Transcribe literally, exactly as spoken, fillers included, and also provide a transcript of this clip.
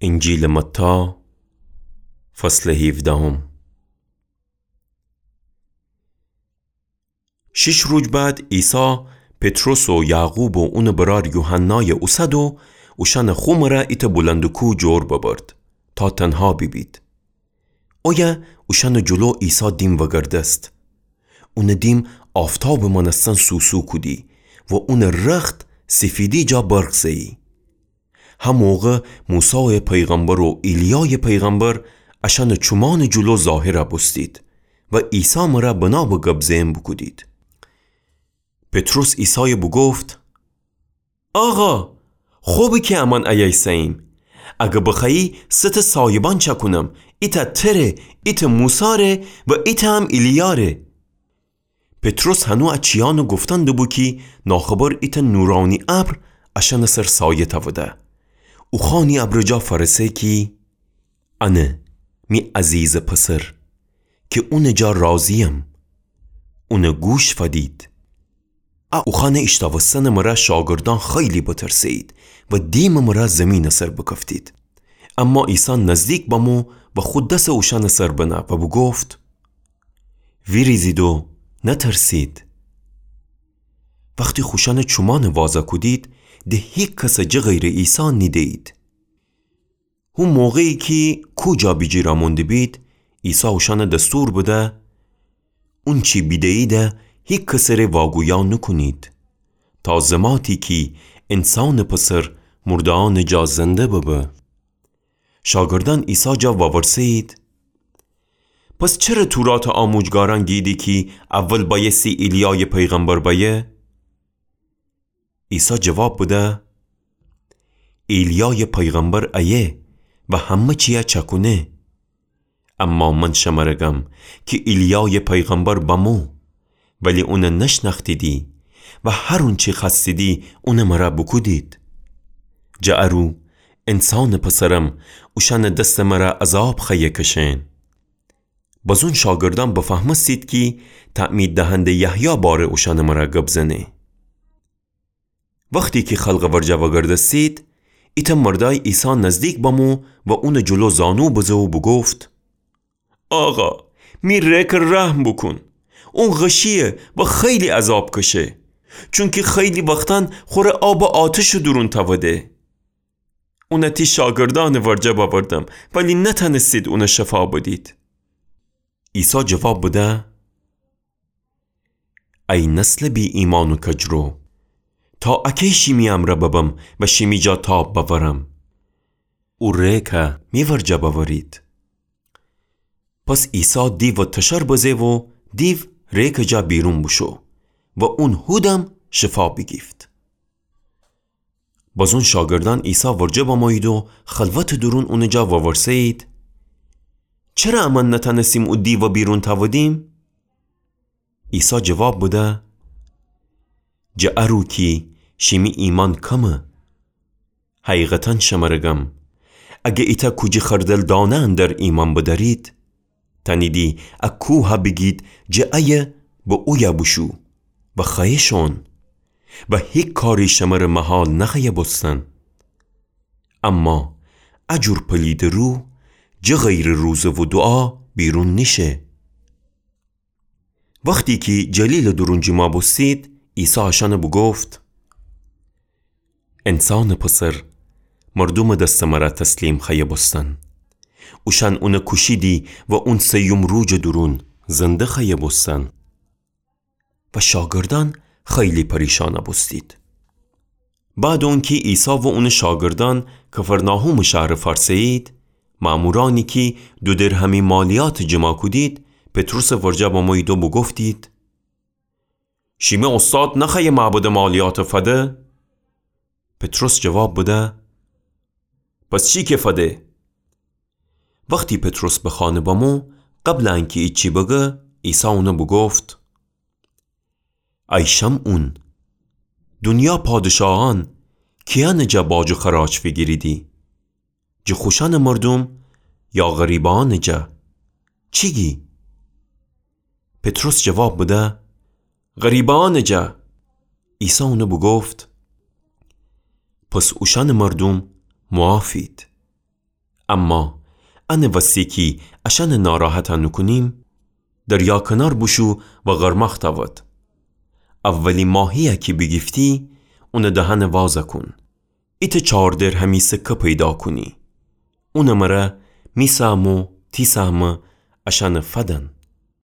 انجیلٚ متی، فصلٚ هیفدهم. شیش روز بعد عیسی پطرس و یعقوب و اونٚ برأر یوحنای اوسد و اوشأنٚ خو مره ایتأ بلندٚ کوه جور ببرد تا تنها بیبید. اویه اوشأنٚ جلو عیسی دیم وگردست. اونٚ دیم آفتابٚ مأنستن سوسو کودی و اونٚ رخت سیفیدی جا برق زه‌یی. هه موقع موسای پیغمبر و ایلیای پیغمبر اشأنٚ چومأنٚ جلو ظاهر بوستید و عیسی مره بنابه گب زئن بوکودید. پطرس عیسای بوگفت: آقا، خوبه کی امأن ایه ایسه‌ییم. اگر بخوأیی سه تأ سایبان چأکونم، ایتأ تره، ایتأ موساره و ایتأ هم ایلیاره. پطرس هنو ا چیأنٚ گفتن دوبو کی ناخبر ایتأ نورأنی ابر اشأنٚ سر سایه تأوده. اوخوأنی ابرٚ جا فأرسه کی: انه می عزیزٚ پسر، کی اونٚ جا راضییم. اون گوش فدید. ا اوخوأنٚ ایشتاوستنٚ مره شاگردأن خیلی بترسه‌یید و دیمٚ مره زیمینٚ سر بکفتید. اما عیسی نزدیک بمو و خو دس اوشأنٚ سر بنه و بوگفت: ویریزید و نترسید. وختی خوشأنٚ چومأنٚ وازه کودید، د هیکسٚ جه غیرٚ عیسی نیده‌یید. هو موقعی کی کوه جا بیجیر امون دیبید، عیسی اوشأنٚ دستور بده: اونچی بیده‌ییده هیکسٚ ره واگویا نوکونید، تا زماتی کی انسانٚ پسر مرده‌یأنٚ جا زنده ببه. شاگردأن عیسی جا وورسه‌یید: پس چره توراتٚ آموجگارأن گیدی کی اول بأیستی ایلیای پیغمبر بأیه؟ عیسی جواب بده: ایلیای پیغمبر ایه و همه چیه چأکونه. اما من شمره گم کی ایلیای پیغمبر بمو، ولی اون نشنأختیدی و هر اونچی خوأستیدی اون مره بوکودید. جٚه ارو انسانٚ پسرم اوشأنٚ دستٚ مره عذاب خوأیه کشئن. بزون شاگردأن بفهمستید کی تعمید دهنده یحیی باره اوشأنٚ مره گب زنه. وختی کی خلقٚ ورجه وگردستید، ایتأ مردأی عیسی نزدیک بمو و اونٚ جلو زانو بزه و بوگفت: آقا، می ریکٚ رحم بوکون. اون غشییه و خیلی عذاب کشه، چونکی خیلی وختأن خوره آبٚ آتشٚ دورون تأوده. اون تی شاگردأنٚ ورجه بأوردم، ولی نتأنستید اون شفا بدید. عیسی جواب بده: ای نسلٚ بی‌ایمأن و کجرو، تا اکی شیمی امرأ ببم و شیمی جا تاب بأورم؟ او ریکه می ورجه بأورید. پس عیسی دیوٚ تشر بزه و دیو ریکٚ جا بیرون بوشو و اون هودم شفا بیگیفت. بزون شاگردأن عیسی ورجه بمویید و خلوتٚ دورون اونٚ جا وورسه‌یید: چره امأن نتأنستیم او دیوه بیرون تأودیم؟ عیسی جواب بده: جٚه ارو کی شیمی ایمأن کمه. حقیقتاً شمره گم، اگه ایتأ کوجی خردل دانه اندر ایمأن بدأرید، تأنیدی ا کوه بیگید جٚه ایه به اویه بوشو و خوأیه شون و هیک کاری شمره محال نخوأیه بوستن. اما ا جور پلیدٚ روح جٚه غیرٚ روزه و دوعا بیرون نیشه. وختی کی جلیلٚ دورون جیما بوستید، عیسی اشأنه بوگفت: انسانٚ پسر مردومٚ دستٚ مره تسلیم خوأیه بوستن. اوشأن اونه کوشیدی و اون سیوم روجٚ دورون زنده خوأیه بوستن. و شاگردأن خیلی پریشان بوستید. بعد اونکی عیسی و اونٚ شاگردأن کفرناحومٚ شهر فأرسه‌یید، مأمورأنی کی دو درهمی مالیات جیما کودید، پطرسٚ ورجه بمویید و بوگفتید: شیمی اوستاد نخوأیه معبده مالیات فده؟ پطرس جواب بده: پس چی که فده؟ وختی پطرس به خانه بمو، قبلٚ انکی ایچی بگه، عیسی اونه بوگفت: ای شمعون، دونیا پادشاهأن کیأنٚ جا باج و خراج فیگیریدی؟ جٚه خوشأنٚ مردوم یا غریبأنٚ جا؟ چی گی؟ پطرس جواب بده: غریبأنٚ جا. عیسی اونه بوگفت: پس اوشأنٚ مردوم معافید. اما انه وسی کی اشأنه ناراحت نوکونیم، دریا کنار بوشو و غرماخ تأود. اولی ماهی‌یه کی بیگیفتی، اونٚ دهنه وازه کون. ایتأ چار درهمی سکه پیدا کونی. اونٚ مره می سهم و تی سهم اشأنه فدن.